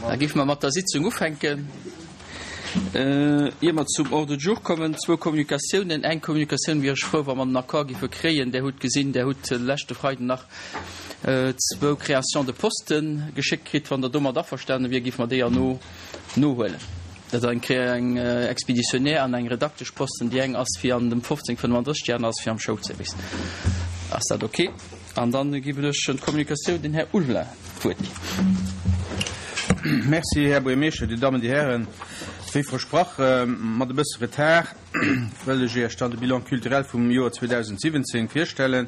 Da géife mer mat der Sitzung ufänken. Ier mer zum Ordre du jour kommen, zwou Kommunikatiounen. Eng Kommunikatioun wier ech frou, wa mer den Accord géife kréien. Der hutt gesinn, Der hutt leschte Freiden nach zwou Créations de postes geschéckt kritt. Wann Der domat averstane wier, géife mer déi erno nohuelen. Dat ass eng Expéditionnaire an eng Redakteschposten. Déi eng ass fir an dem 1535, déi aner ass fir am Schoulservice. Ass dat ok? An dann ginn ech un d'Kommunikatioun den Här Ulveling d'Wuert. Merci, Här Buergermeeschter, Dir Dammen, Dir Hären. Wéi versprach, mat e bësse Retard, wëll ech Iech dann de Bilan culturel vum Joer 2017 virstellen.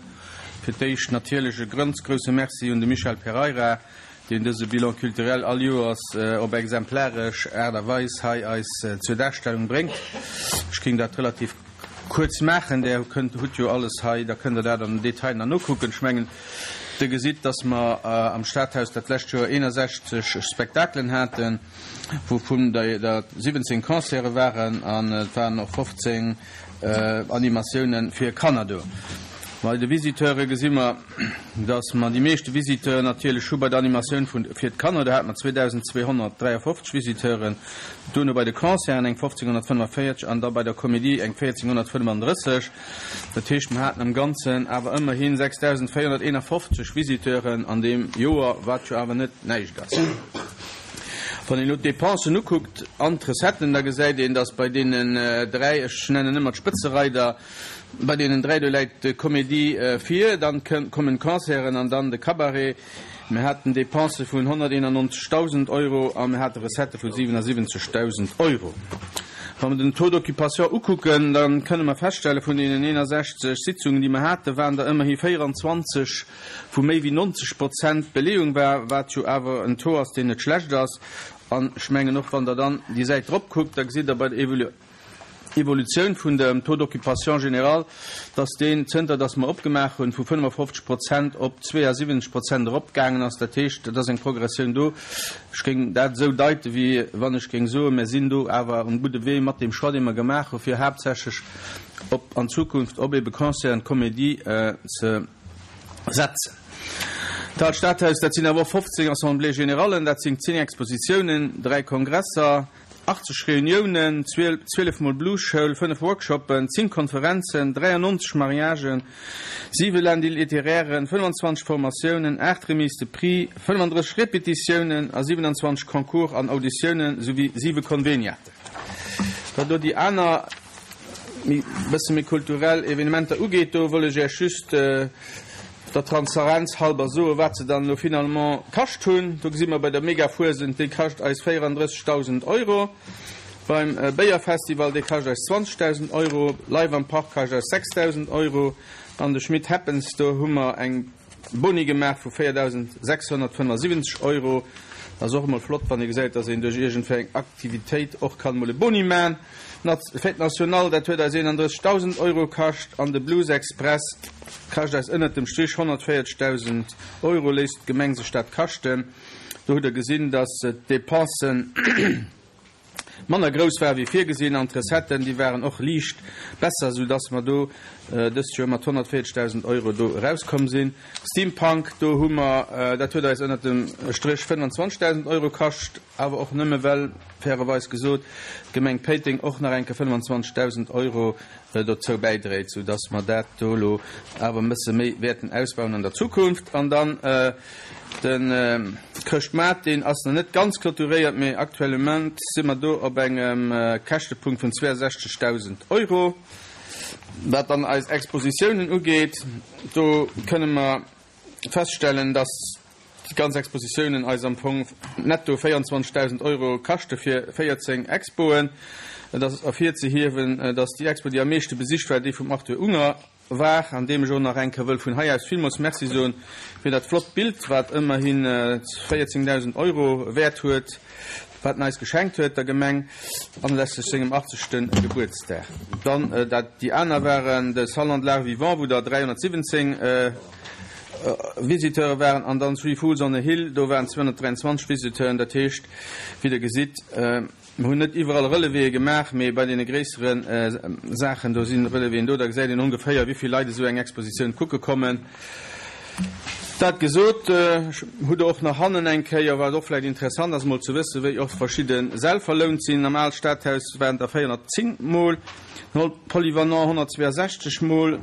Fir d'éischt natierlech e grënz grouse Merci un de Michel Pereira, deen dëse Bilan culturel all Joers op exemplaresch Aart a Weis hei eis zur Darstellung bréngt. Ech géing dat relativ kuerz maachen. Der kënnt, hutt jo alles hei, da kënnt Der dat am Detail nach nokucken. Ech mengen, Der gesitt, dass mer am Stadhaus dat lescht Joer 61 Spektakelen haten, wouvun der 17 Concerte waren an et waren och 15 Animatioune fir Kanner do. Bei de Visiteure gesi mer, dass mer déi meeschte Visiteuren natierlech hu bei der Animatioun fir d'Kanner, do hate mer 2.253 Visiteuren. Duerno bei de Concerten eng 1545 an da bei der Comédie eng 1435. Dat heescht, mer haten am Ganzen awer ëmmerhi 6.451 Visiteuren an deem Joer, wat jo awer net näischt ass. Wann een elo d'Depensen ukuckt an d'Recetten, da gesäit een, dass bei deenen dräi, ech nennen ëmmer d'Spëtzereider, bei deenen dräi, do läit d'Comédie vir, dann kommen d'Concerten an dann de Cabaret. Mir haten Depensë vun 191.000 Euro a mir hate Recettë vu 77.000 Euro. Wa mer den Taux d'occupation ukucken, da kënne mer feststellen, vun deenen 61 Sitzungen, déi mer haten, waren der ëmmerhi 24, wou méi wéi 90 Prozent Beleeung war, wat jo awer en Taux ass, deen net schlecht ass. An ech mengen och, wann Der dann déi Säit drop kuckt, da gesitt Der bei der Evolutioun vun dem Taux d'occupation général, dass deen, zënter dass mer opgemaach hunn, vu 55 Prozent op 72 Prozent eropgaangen ass. Dat heescht, et ass eng Progressioun do. Ech géing dat esou deiten, wéi wann ech géing soen, mir sinn do awer um gudde Wee mat deem Choix, dee mer gemaach hu fir haaptsächlech op an Zukunft op ebe Concerten, Comédie ze setzen. D'Aalt Stadhaus, dat sinn awer och 15 Assemblées générallen, dat sinn 10 Expositiounen, 3 Kongresser, 80 Reuniounen, 12 mol Blues-Schoul, 5 Workshoppen, 10 Konferenzen, 93 Mariagen, 7 Lundi littéraires, 25 Formatiounen, 8 Remises de prix, 35 Repetitiounen a 27 Concours an Auditiounen souwéi 7 Conveniaten. Wat elo déi aner, méi bësse méi kulturell Evenementer ugeet, do wëll ech Iech just der Transarenz halber soen, wat se dann elo finalement kascht hunn. Do gesi mer bei der Megafuesent, déi kascht eis 34.000 Euro. Beim Béierfestival, dee kascht eis 20.000 Euro. Live am Park kascht eis 6.000 Euro. An de Schmit Happens, do hu mer eng Boni gemaach vu 4.675 Euro. Ass och emol flott, wann ee gesäit, dass een duerch iergendwéi eng Aktivitéit och kann emol e Boni man. D'Fête Nationale, dat huet eis 31.000 Euro kascht an de Blues Express kascht eis ënnert dem Strich 140.000 Euro. Léisst d'Gemeng sech dat kaschten? Do hutt Der gesinn, dass d'Depensen manner grouss ware wéi virgesinn an d'Recetten, déi waren och liicht besser, soudass mer do dëst Joer mat 140.000 Euro do erauskomm sinn. Steampunk, do hu mer, dat huet eis ënnert dem Stréch 25.000 Euro kascht, awer och nëmme well, fairerweis gesot, d'Gemeng Péiteng och nach eng Kéier 25.000 Euro dozou bäidréit, soudass mer dat do elo awer e bësse méi wäerten ausbauen an der Zukunft. An dann de Chrëschtmaart, deen ass nach net ganz clôturéiert, mee actuellement si mer do op engem Käschtepunkt vun 62.000 Euro. Wat dann eis Expositiounen ugeet, do kënne mer feststellen, dass déi ganz Expositiounen eis am Fong netto 24.000 Euro kaschte fir 14 Expoen. Et ass ervirzehiewen, dass déi Expo, déi am meeschte besicht war, déi vum Arthur Unger war, an deem ech och nach eng Kéier wëll vun hei aus villmools Merci soen fir dat flott Bild, wat ëmmerhi 14.000 Euro wäert huet, wat en eis geschenkt huet, der Gemeng, anlässlech sengem 80. Gebuertsdag. Dann dat déi aner waren de Salon de l'Art vivant, wou der 317 Visiteure waren, an dann Three Fools on a Hill, do waren 223 Visiteuren. Dat heescht, wéi Der gesitt, Mer hunn net iwwerall Relevéë gemaach, mee bei deene gréissere Saachen, do si Relevéen do. Da gesäit een ongeféier, wéi vill Leit esou eng Expositioun kucke kommen. Dat gesot, hutt Der och nach hannen eng Kéier, wat och vläicht interessant ass emol ze wëssen, wéi och verschidde Säll verlount sinn. Am Aalt Stadhaus waren der 410 Mol, den Polyvalent 162 Mol,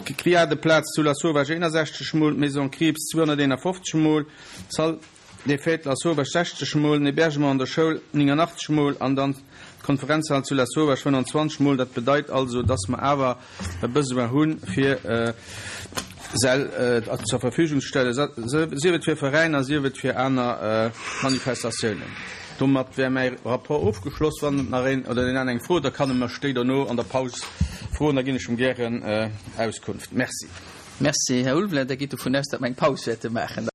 d'Grillade-Plaz zu Lasauvage 61 Mol, d'Maison Krieps 251 Mol, d'Salle des Fêtes Lasauvage 60 Mol, den Hébergement an der Schoul 89 Mol an dann d'Konferenzhal zu Lasauvage 25 Mol. Dat bedeit also, dass mer awer e Besoin hu fir Säll zur Verfügung ze stellen, sief et fir Veräiner, sief et fir aner Manifestatiounen. Domat wär mäi Rapport ofgeschloss. Wann nach een oder deen aner eng Fro huet, da kann e mech déi dono an der Paus froen, da ginn ech em gären Auskunft. Merci. Merci, Här Ulveling. Der gitt dovun aus, datt mer eng Paus wäerte maachen.